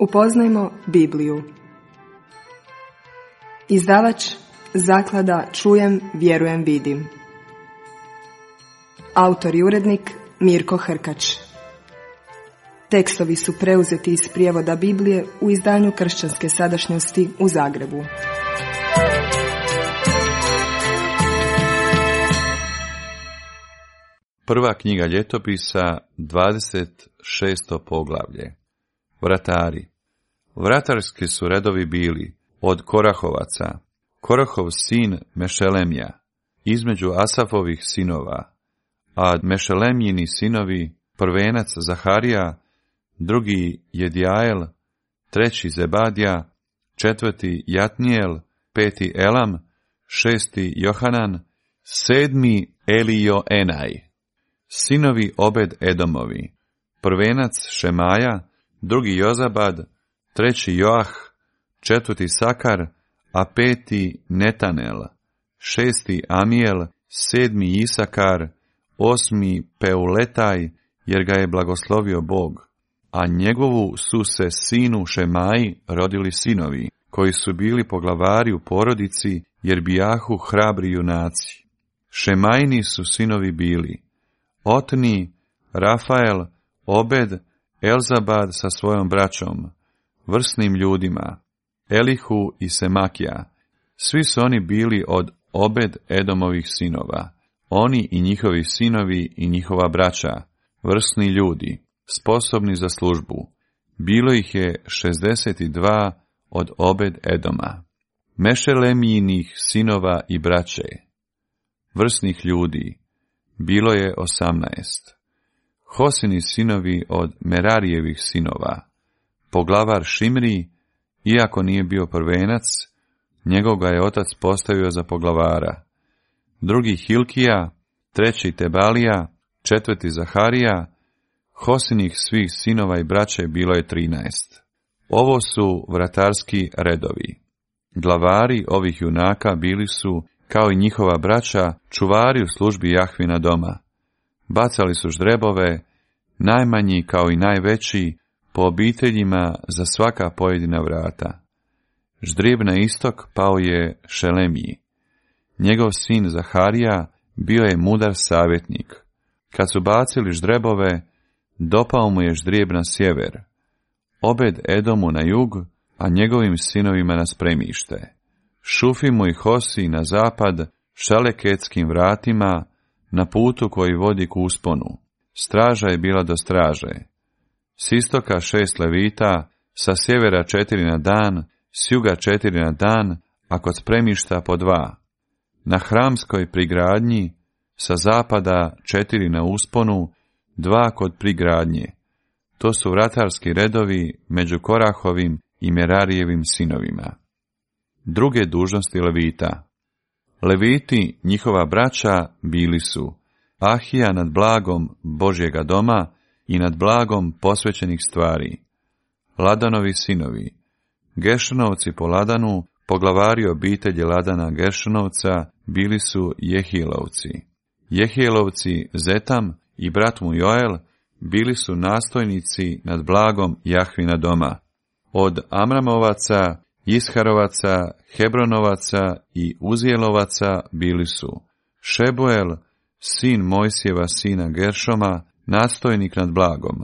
Upoznajmo Bibliju. Izdavač Zaklada Čujem, vjerujem, vidim. Autor i urednik Mirko Hrkač. Tekstovi su preuzeti iz prijevoda Biblije u izdanju Kršćanske sadašnjosti u Zagrebu. Prva knjiga Ljetopisa, 26. poglavlje. Vratari. Vratarski su redovi bili od Korahovaca, Korahov sin Mešelemija, između Asafovih sinova, a Mešelemjini sinovi, prvenac Zaharija, drugi Jedjael, treći Zebadija, četvrti Jatnijel, peti Elam, šesti Johanan, sedmi Elioenaj. Sinovi Obed Edomovi, prvenac Šemaja, drugi Jozabad, treći Joah, četvrti Sakar, a peti Netanel, šesti Amijel, sedmi Isakar, osmi Peuletaj, jer ga je blagoslovio Bog, a njegovu su se sinu Šemaji rodili sinovi, koji su bili poglavari u porodici, jer bijahu hrabri junaci. Šemajini su sinovi bili Otni, Rafael, Obed, Elzabad sa svojom braćom, vrsnim ljudima, Elihu i Semakija. Svi su oni bili od Obed Edomovih sinova, oni i njihovi sinovi i njihova braća, vrsni ljudi, sposobni za službu. Bilo ih je 62 od Obed Edoma. Mešelemijinih sinova i braće, vrsnih ljudi, bilo je 18. Hosini sinovi od Merarijevih sinova, poglavar Šimri, iako nije bio prvenac, njegov ga je otac postavio za poglavara. Drugi Hilkija, treći Tebalija, četvrti Zaharija, Hosinih svih sinova i braće bilo je 13. Ovo su vratarski redovi. Glavari ovih junaka bili su, kao i njihova braća, čuvari u službi Jahvina doma. Bacali su ždrebove, najmanji kao i najveći, po obiteljima za svaka pojedina vrata. Ždrijeb na istok pao je Šelemiji. Njegov sin Zaharija bio je mudar savjetnik. Kad su bacili ždrebove, dopao mu je ždrijeb na sjever, Obed Edomu na jug, a njegovim sinovima na spremište. Šufimu i Hosi na zapad, Šaleketskim vratima, na putu koji vodi k usponu. Straža je bila do straže. S istoka 6 levita, sa sjevera 4 na dan, s juga 4 na dan, a kod spremišta po 2. Na hramskoj prigradnji, sa zapada 4 na usponu, 2 kod prigradnje. To su vratarski redovi među Korahovim i Merarijevim sinovima. Druge dužnosti levita. Leviti, njihova braća, bili su Ahija nad blagom Božjega doma i nad blagom posvećenih stvari. Ladanovi sinovi, Gešonovci po Ladanu, poglavari obitelji Ladana Gešonovca, bili su Jehijelovci. Jehijelovci Zetam i brat mu Joel bili su nastojnici nad blagom Jahvina doma. Od Amramovaca, Isharovaca, Hebronovaca i Uzijelovaca bili su Šebuel, sin Mojsijeva sina Geršoma, nastojnik nad blagom.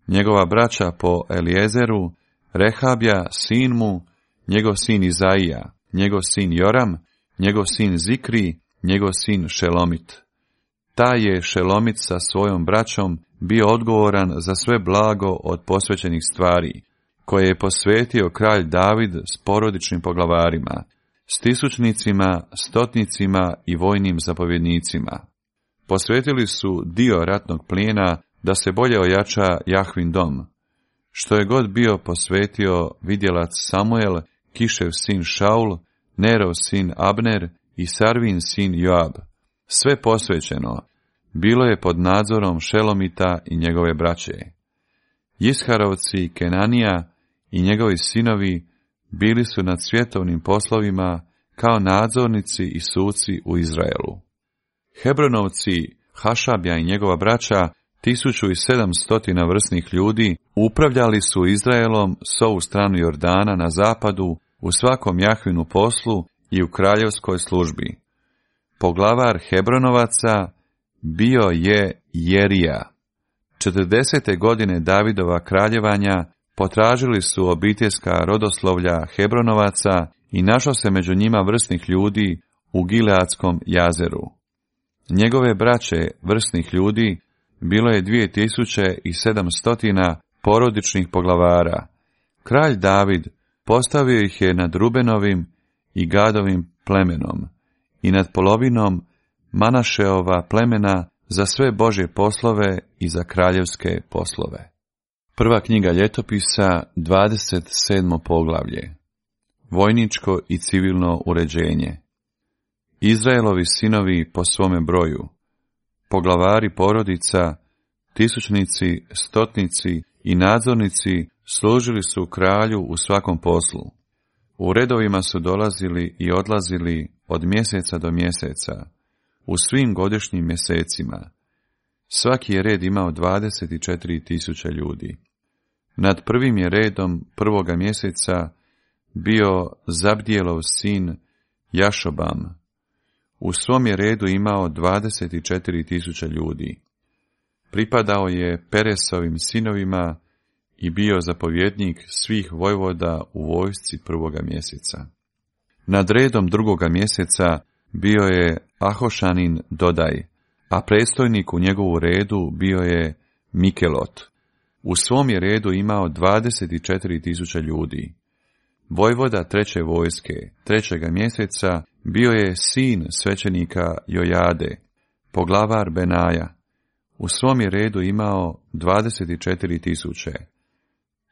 Njegova braća po Eliezeru, Rehabja, sin mu, njegov sin Izaija, njegov sin Joram, njegov sin Zikri, njegov sin Šelomit. Taj je Šelomit sa svojom braćom bio odgovoran za sve blago od posvećenih stvari, koje je posvetio kralj David s porodičnim poglavarima, s tisućnicima, stotnicima i vojnim zapovjednicima. Posvetili su dio ratnog plijena da se bolje ojača Jahvin dom. Što je god bio posvetio vidjelac Samuel, Kišev sin Šaul, Nerov sin Abner i Sarvin sin Joab. Sve posvećeno bilo je pod nadzorom Šelomita i njegove braće. Isharovci Kenanija i njegovi sinovi bili su nad svjetovnim poslovima kao nadzornici i suci u Izraelu. Hebronovci Hašabja i njegova braća 1700 vrsnih ljudi upravljali su Izraelom s ovu stranu Jordana na zapadu u svakom Jahvinu poslu i u kraljevskoj službi. Poglavar Hebronovaca bio je Jerija. 40. godine Davidova kraljevanja potražili su obiteljska rodoslovlja Hebronovaca i našlo se među njima vrsnih ljudi u Gileadskom jazeru. Njegove braće vrsnih ljudi bilo je 2700 porodičnih poglavara. Kralj David postavio ih je nad Rubenovim i Gadovim plemenom i nad polovinom Manašeova plemena za sve Božje poslove i za kraljevske poslove. Prva knjiga Ljetopisa, 27. poglavlje. Vojničko i civilno uređenje. Izraelovi sinovi po svome broju, poglavari porodica, tisućnici, stotnici i nadzornici služili su kralju u svakom poslu. U redovima su dolazili i odlazili od mjeseca do mjeseca, u svim godišnjim mjesecima. Svaki je red imao 24.000 ljudi. Nad prvim je redom prvoga mjeseca bio Zabdijelov sin Jašobam. U svom je redu imao 24.000 ljudi. Pripadao je Peresovim sinovima i bio zapovjednik svih vojvoda u vojsci prvoga mjeseca. Nad redom drugoga mjeseca bio je Ahošanin Dodaj, a predstojnik u njegovu redu bio je Mikelot. U svom je redu imao 24.000 ljudi. Vojvoda treće vojske, trećega mjeseca, bio je sin svećenika Jojade, poglavar Benaja. U svom je redu imao 24.000.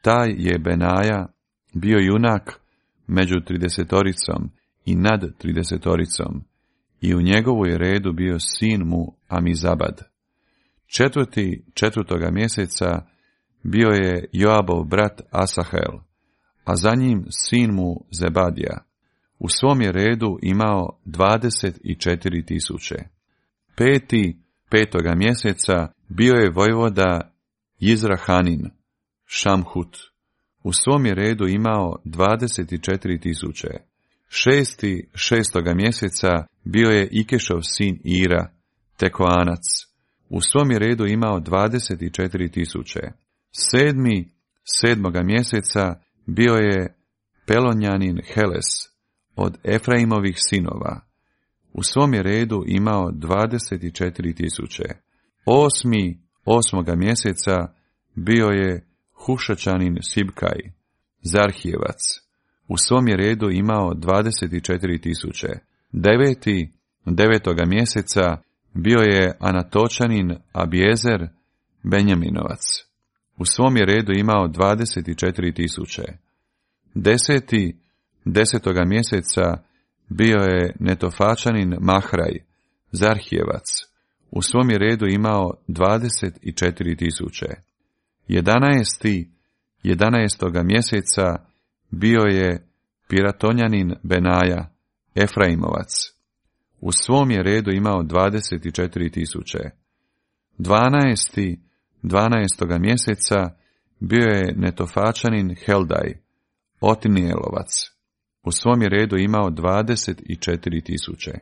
Taj je Benaja bio junak među 30 i nad 30, i u njegovu je redu bio sin mu Amizabad. Četvrtoga mjeseca bio je Joabov brat Asahel, a za njim sin mu Zebadija. U svom je redu imao 24.000. Petoga mjeseca bio je vojvoda Izrahanin, Šamhut. U svom je redu imao 24.000. Šestoga mjeseca bio je Ikešov sin Ira, Tekoanac. U svom je redu imao 24.000. Sedmoga mjeseca bio je Pelonjanin Heles od Efraimovih sinova. U svom je redu imao 24.000. Osmoga mjeseca bio je Hušačanin Sibkaj, Zarhijevac. U svom je redu imao 24.000. Devetoga mjeseca bio je Anatočanin Abiezer, Benjaminovac. U svom je redu imao 24.000. Desetoga mjeseca bio je Netofačanin Mahraj, Zarhijevac. U svom je redu imao 24.000. 11. mjeseca bio je Piratonjanin Benaja, Efraimovac. U svom je redu imao 24.000. 12. mjeseca bio je Netofačanin Heldaj, Otinijelovac. U svom je redu imao 24.000.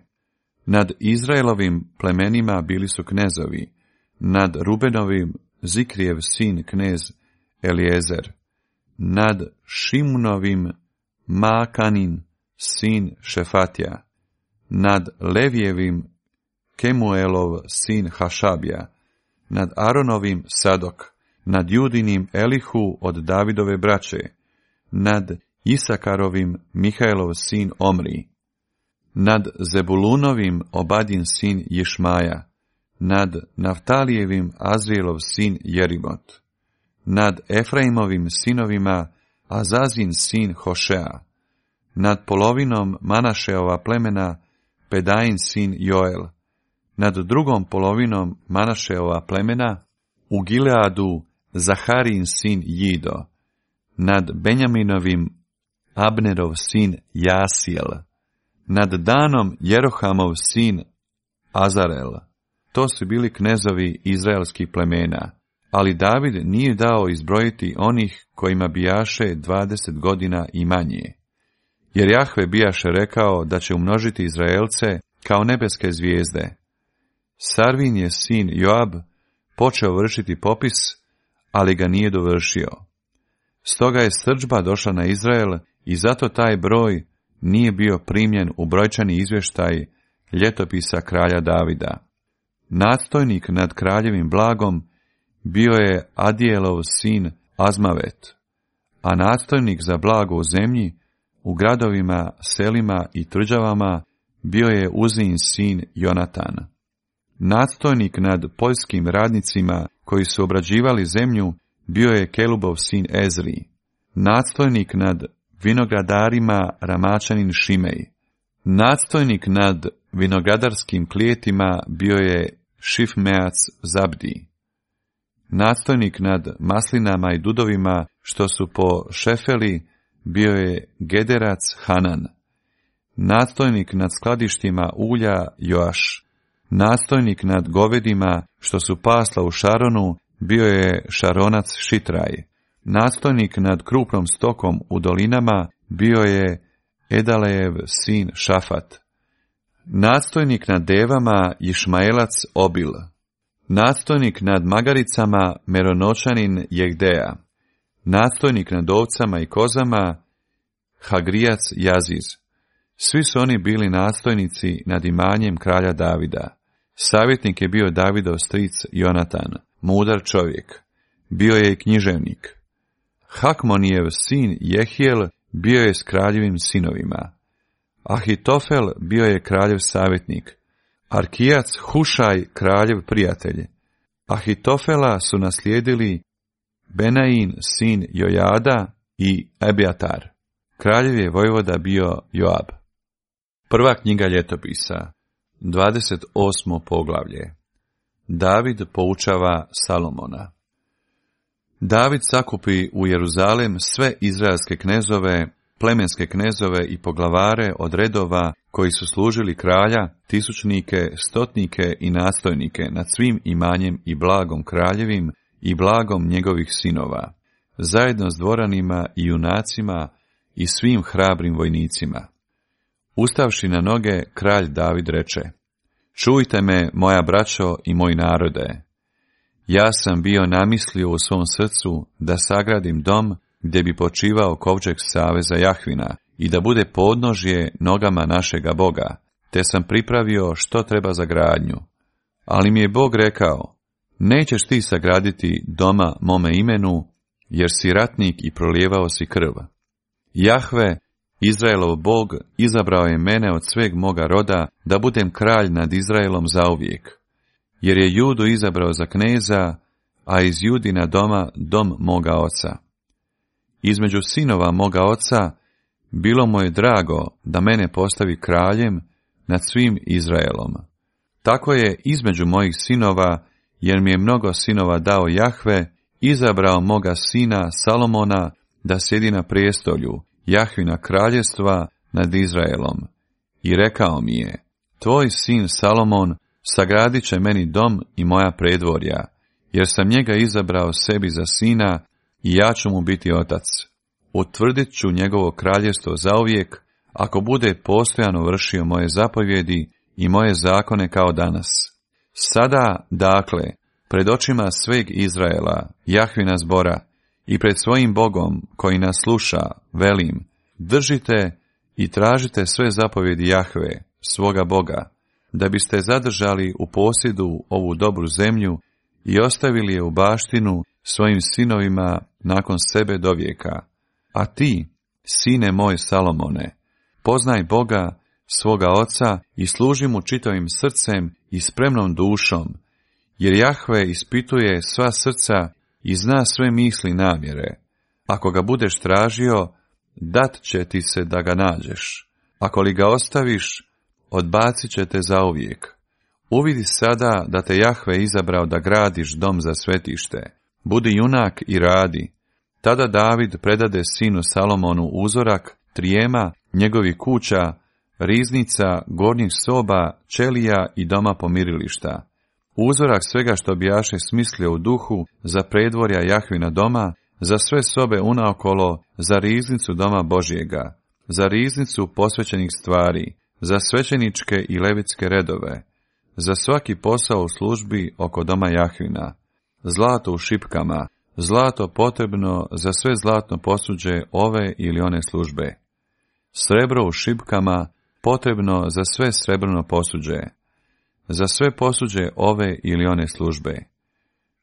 Nad Izraelovim plemenima bili su knezovi, nad Rubenovim Zikrijev sin knez Eliezer, nad Šimunovim Maakanin sin Šefatija, nad Levijevim Kemuelov sin Hašabija, nad Aronovim Sadok, nad Judinim Elihu od Davidove braće, nad Isakarovim Mihaelov sin Omri, nad Zebulunovim Obadin sin Jišmaja, nad Naftalijevim Azrielov sin Jerimot, nad Efraimovim sinovima Azazin sin Hošea, nad polovinom Manašeova plemena Pedain sin Joel, nad drugom polovinom Manašeova plemena u Gileadu Zaharin sin Jido, nad Benjaminovim Abnerov sin Jasijel, nad Danom Jerohamov sin Azarel, to su bili knezovi izraelskih plemena, ali David nije dao izbrojiti onih kojima bijaše 20 godina i manje. Jer Jahve bijaše rekao da će umnožiti Izraelce kao nebeske zvijezde. Sarvin je sin Joab počeo vršiti popis, ali ga nije dovršio. Stoga je srdžba došla na Izrael i zato taj broj nije bio primljen u brojčani izvještaj ljetopisa kralja Davida. Nadstojnik nad kraljevim blagom bio je Adijelov sin Azmavet, a nadstojnik za blago u zemlji, u gradovima, selima i tvrđavama bio je Uzin sin Jonatan. Nadstojnik nad poljskim radnicima koji su obrađivali zemlju bio je Kelubov sin Ezri. Nadstojnik nad vinogradarima Ramačanin Šimej. Nadstojnik nad vinogradarskim klijetima bio je Šifmeac Zabdi. Nadstojnik nad maslinama i dudovima što su po Šefeli bio je Gederac Hanan. Nadstojnik nad skladištima ulja Joaš. Nadstojnik nad govedima što su pasla u Šaronu bio je Šaronac Šitraj. Nadstojnik nad krupnom stokom u dolinama bio je Edalejev sin Šafat. Nadstojnik nad devama Išmaelac Obil. Nadstojnik nad magaricama Meronočanin Jegdeja. Nadstojnik nad ovcama i kozama Hagrijac Jaziz. Svi su oni bili nadstojnici nad imanjem kralja Davida. Savjetnik je bio Davidov stric Jonatan, mudar čovjek. Bio je i književnik. Hakmonijev sin Jehijel bio je s kraljevim sinovima. Ahitofel bio je kraljev savjetnik. Arkijac Hušaj kraljev prijatelj. Ahitofela su naslijedili Benain sin Jojada i Ebjatar. Kraljev je vojvoda bio Joab. Prva knjiga ljetopisa, 28. poglavlje. David poučava Salomona. David sakupi u Jeruzalem sve izraelske knezove, plemenske knezove i poglavare od redova koji su služili kralja, tisućnike, stotnike i nadstojnike nad svim imanjem i blagom kraljevim i blagom njegovih sinova, zajedno s dvoranima i junacima i svim hrabrim vojnicima. Ustavši na noge, kralj David reče: Čujte me, moja braćo i moj narode. Ja sam bio namislio u svom srcu da sagradim dom gdje bi počivao kovčeg saveza Jahvina i da bude podnožje nogama našega Boga, te sam pripravio što treba za gradnju. Ali mi je Bog rekao: Nećeš ti sagraditi doma mome imenu, jer si ratnik i prolijevao si krv. Jahve, Izraelov Bog, izabrao je mene od sveg moga roda da budem kralj nad Izraelom zauvijek, jer je Judu izabrao za kneza, a iz Judina doma dom moga oca. Između sinova moga oca bilo mu je drago da mene postavi kraljem nad svim Izraelom. Tako je između mojih sinova, jer mi je mnogo sinova dao Jahve, izabrao moga sina Salomona da sjedi na prijestolju Jahvina kraljevstva nad Izraelom. I rekao mi je: Tvoj sin Salomon sagradit će meni dom i moja predvorja, jer sam njega izabrao sebi za sina i ja ću mu biti otac. Utvrdit ću njegovo kraljevstvo zauvijek, ako bude postojano vršio moje zapovjedi i moje zakone kao danas. Sada, dakle, pred očima sveg Izraela, Jahvina zbora, i pred svojim Bogom koji nas sluša, velim: držite i tražite sve zapovjedi Jahve, svoga Boga, da biste zadržali u posjedu ovu dobru zemlju i ostavili je u baštinu svojim sinovima nakon sebe do vijeka. A ti, sine moj Salomone, poznaj Boga, svoga oca, i služi mu čitavim srcem i spremnom dušom, jer Jahve ispituje sva srca i zna sve misli i namjere. Ako ga budeš tražio, dat će ti se da ga nađeš. Ako li ga ostaviš, odbacit će te zauvijek. Uvidi sada da te Jahve izabrao da gradiš dom za svetište. Budi junak i radi. Tada David predade sinu Salomonu uzorak trijema njegovih kuća, riznica, gornjih soba, ćelija i doma pomirilišta. uzorak svega što bijaše smislio u duhu, za predvorja Jahvina doma, za sve sobe unaokolo, za riznicu doma Božjega, za riznicu posvećenih stvari, za svećeničke i levitske redove, za svaki posao u službi oko doma Jahvina, zlato u šipkama, zlato potrebno za sve zlatno posuđe ove ili one službe, srebro u šipkama potrebno za sve srebrno posuđe, za sve posuđe ove ili one službe,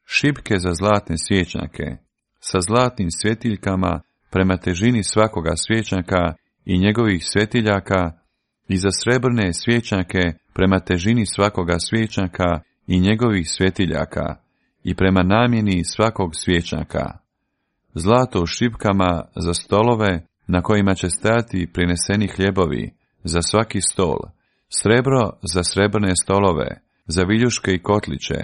šipke za zlatne svjećnjake, sa zlatnim svjetiljkama prema težini svakoga svjećnjaka i njegovih svjetiljaka, i za srebrne svjećnjake prema težini svakoga svjećnjaka i njegovih svjetiljaka, i prema namjeni svakog svjećnjaka. Zlato u šipkama za stolove na kojima će stajati prineseni hljebovi, za svaki stol, srebro za srebrne stolove, za viljuške i kotliće,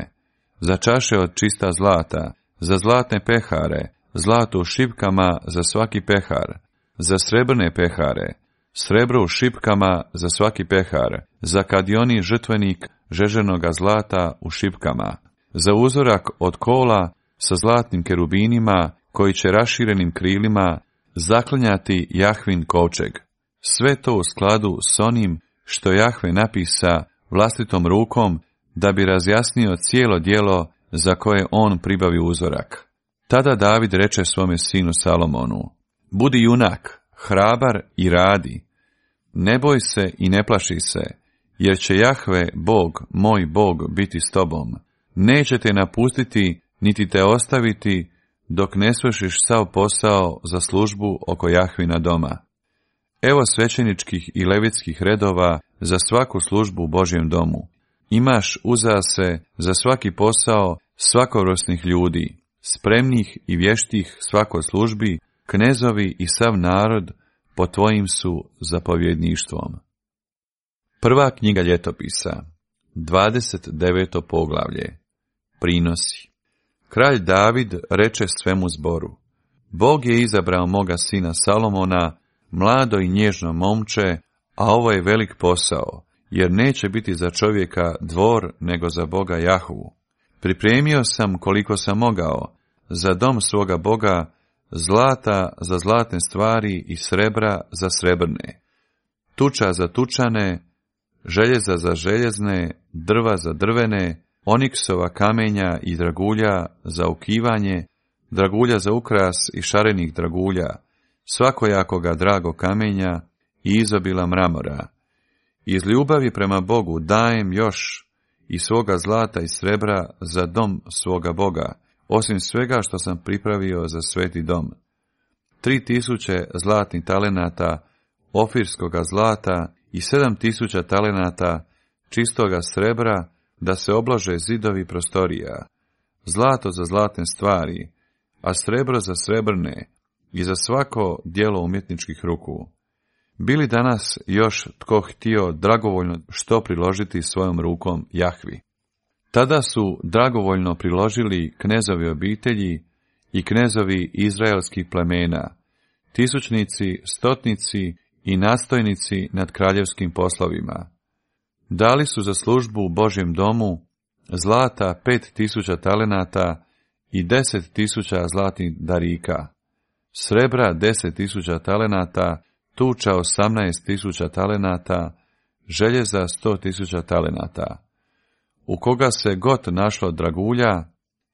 za čaše od čista zlata, za zlatne pehare, zlato u šipkama za svaki pehar, za srebrne pehare, srebro u šipkama za svaki pehar, za kadioni žrtvenik žeženoga zlata u šipkama, za uzorak od kola sa zlatnim kerubinima koji će raširenim krilima zaklinjati Jahvin kovčeg. Sve to u skladu s onim što Jahve napisa vlastitom rukom da bi razjasnio cijelo djelo za koje on pribavi uzorak. Tada David reče svome sinu Salomonu: budi junak, hrabar i radi. Ne boj se i ne plaši se, jer će Jahve, Bog, moj Bog, biti s tobom. Neće te napustiti, niti te ostaviti, dok ne svršiš sav posao za službu oko Jahvina doma. Evo svećeničkih i levitskih redova za svaku službu u Božjem domu. Imaš uza se za svaki posao svakovrstnih ljudi, spremnih i vještih svakoj službi, knezovi i sav narod pod tvojim su zapovjedništvom. Prva knjiga Ljetopisa, 29. poglavlje. Prinosi. Kralj David reče svemu zboru: Bog je izabrao moga sina Salomona, mlado i nježno momče, a ovo je velik posao, jer neće biti za čovjeka dvor, nego za Boga Jahvu. Pripremio sam koliko sam mogao, za dom svoga Boga, zlata za zlatne stvari i srebra za srebrne, tuča za tučane, željeza za željezne, drva za drvene, oniksova kamenja i dragulja za ukivanje, dragulja za ukras i šarenih dragulja, svakojakoga drago kamenja i izobila mramora. Iz ljubavi prema Bogu dajem još i svoga zlata i srebra za dom svoga Boga, osim svega što sam pripravio za sveti dom. 3000 zlatnih talenata ofirskoga zlata i 7000 talenata čistoga srebra, da se oblože zidovi prostorija, zlato za zlatne stvari, a srebro za srebrne i za svako djelo umjetničkih ruku. Bili danas još tko htio dragovoljno što priložiti svojom rukom Jahvi? Tada su dragovoljno priložili knezovi obitelji i knezovi izraelskih plemena, tisućnici, stotnici i nastojnici nad kraljevskim poslovima. Dali su za službu u Božjem domu zlata 5000 talenata i 10.000 zlatnih darika, srebra 10.000 talenata, tuča 18.000 talenata, željeza 100.000 talenata. U koga se god našlo dragulja,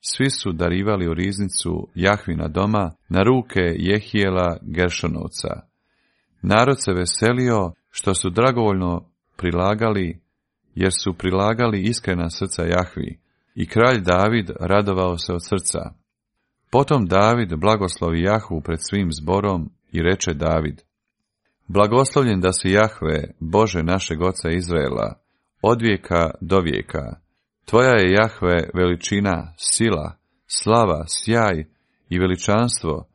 svi su darivali u riznicu Jahvina doma na ruke Jehijela Geršonovca. Narod se veselio što su dragovoljno prilagali, jer su prilagali iskrena srca Jahvi, i kralj David radovao se od srca. Potom David blagoslovi Jahvu pred svim zborom i reče David: Blagoslovljen da si Jahve, Bože našeg oca Izraela, od vijeka do vijeka. Tvoja je Jahve veličina, sila, slava, sjaj i veličanstvo,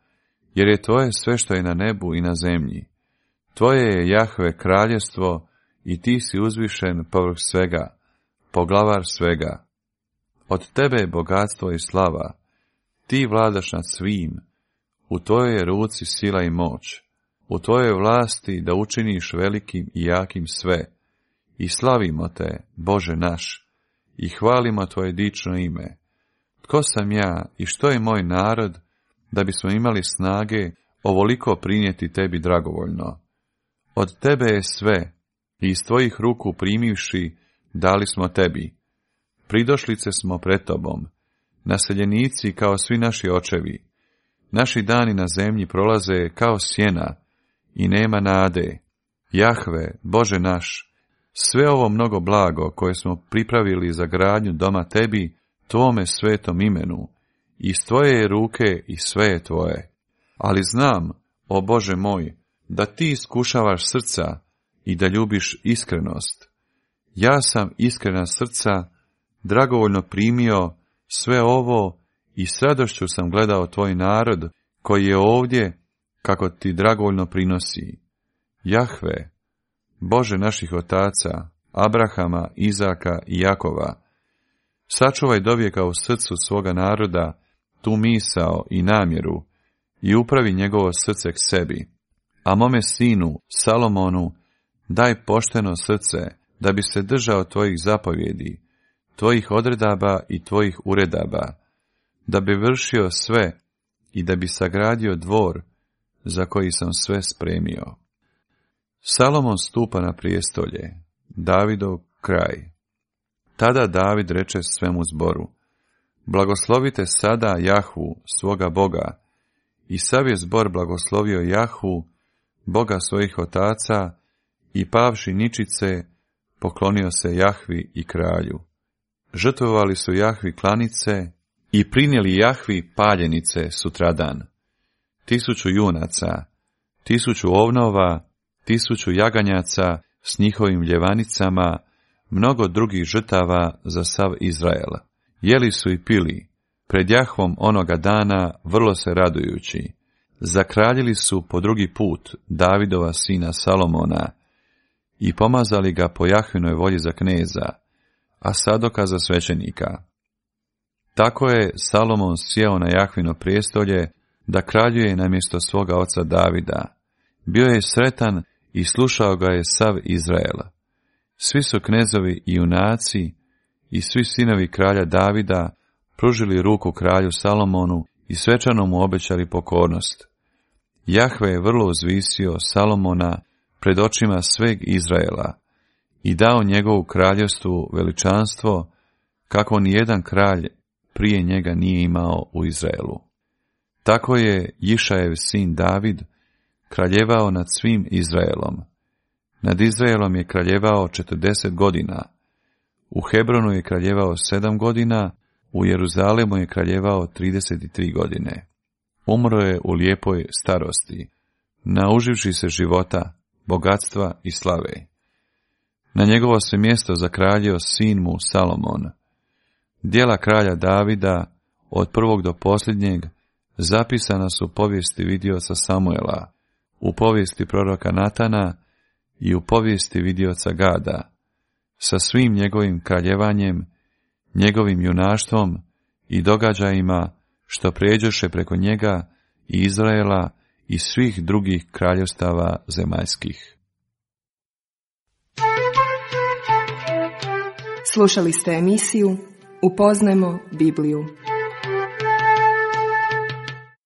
jer je tvoje sve što je na nebu i na zemlji. Tvoje je Jahve kraljevstvo i ti si uzvišen povrh svega, poglavar svega. Od tebe je bogatstvo i slava, ti vladaš nad svim, u tvojoj je ruci sila i moć, u tvojoj vlasti da učiniš velikim i jakim sve, i slavimo te, Bože naš, i hvalimo tvoje dično ime. Tko sam ja i što je moj narod, da bismo imali snage ovoliko prinijeti tebi dragovoljno? Od tebe je sve, i iz tvojih ruku primivši, dali smo tebi. Pridošlice smo pred tobom, naseljenici kao svi naši očevi. Naši dani na zemlji prolaze kao sjena i nema nade. Jahve, Bože naš, sve ovo mnogo blago koje smo pripravili za gradnju doma tebi, tvome svetom imenu, iz tvoje je ruke i sve je tvoje. Ali znam, o Bože moj, da ti iskušavaš srca i da ljubiš iskrenost. Ja sam iskrena srca, dragovoljno primio sve ovo i s radošću sam gledao tvoj narod koji je ovdje, kako ti dragovoljno prinosi. Jahve, Bože naših otaca, Abrahama, Izaka i Jakova, sačuvaj dovijeka u srcu svoga naroda tu misao i namjeru i upravi njegovo srce k sebi. A mome sinu, Salomonu, daj pošteno srce, da bi se držao tvojih zapovjedi, tvojih odredaba i tvojih uredaba, da bi vršio sve i da bi sagradio dvor za koji sam sve spremio. Salomon stupa na prijestolje, Davidov kraj. Tada David reče svemu zboru: blagoslovite sada Jahvu, svoga Boga. I sav je zbor blagoslovio Jahvu, Boga svojih otaca, i pavši ničice, poklonio se Jahvi i kralju. Žrtvovali su Jahvi klanice i prinijeli Jahvi paljenice sutradan. 1000 junaca, 1000 ovnova, 1000 jaganjaca s njihovim ljevanicama, mnogo drugih žrtava za sav Izrael. Jeli su i pili, pred Jahvom onoga dana vrlo se radujući. Zakraljili su po drugi put Davidova sina Salomona i pomazali ga po Jahvinoj volji za kneza, a Sadoka za svećenika. Tako je Salomon sjeo na Jahvino prijestolje da kraljuje namjesto svoga oca Davida. Bio je sretan i slušao ga je sav Izrael. Svi su knezovi i junaci i svi sinovi kralja Davida pružili ruku kralju Salomonu i svečano mu obećali pokornost. Jahve je vrlo uzvisio Salomona pred očima sveg Izraela i dao njegovu kraljevstvu veličanstvo kako ni jedan kralj prije njega nije imao u Izraelu. Tako je Jišajev sin David kraljevao nad svim Izraelom. Nad Izraelom je kraljevao 40 godina. U Hebronu je kraljevao 7 godina, u Jeruzalemu je kraljevao 33 godine. Umro je u lijepoj starosti, nauživši se života, bogatstva i slave. Na njegovo se mjesto zakraljio sin mu Salomon. Djela kralja Davida, od prvog do posljednjeg, zapisana su u povijesti vidioca Samuela, u povijesti proroka Natana i u povijesti vidioca Gada, sa svim njegovim kraljevanjem, njegovim junaštvom i događajima što prijeđoše preko njega i Izraela i svih drugih kraljevstava zemaljskih. Slušali ste emisiju Upoznajmo Bibliju.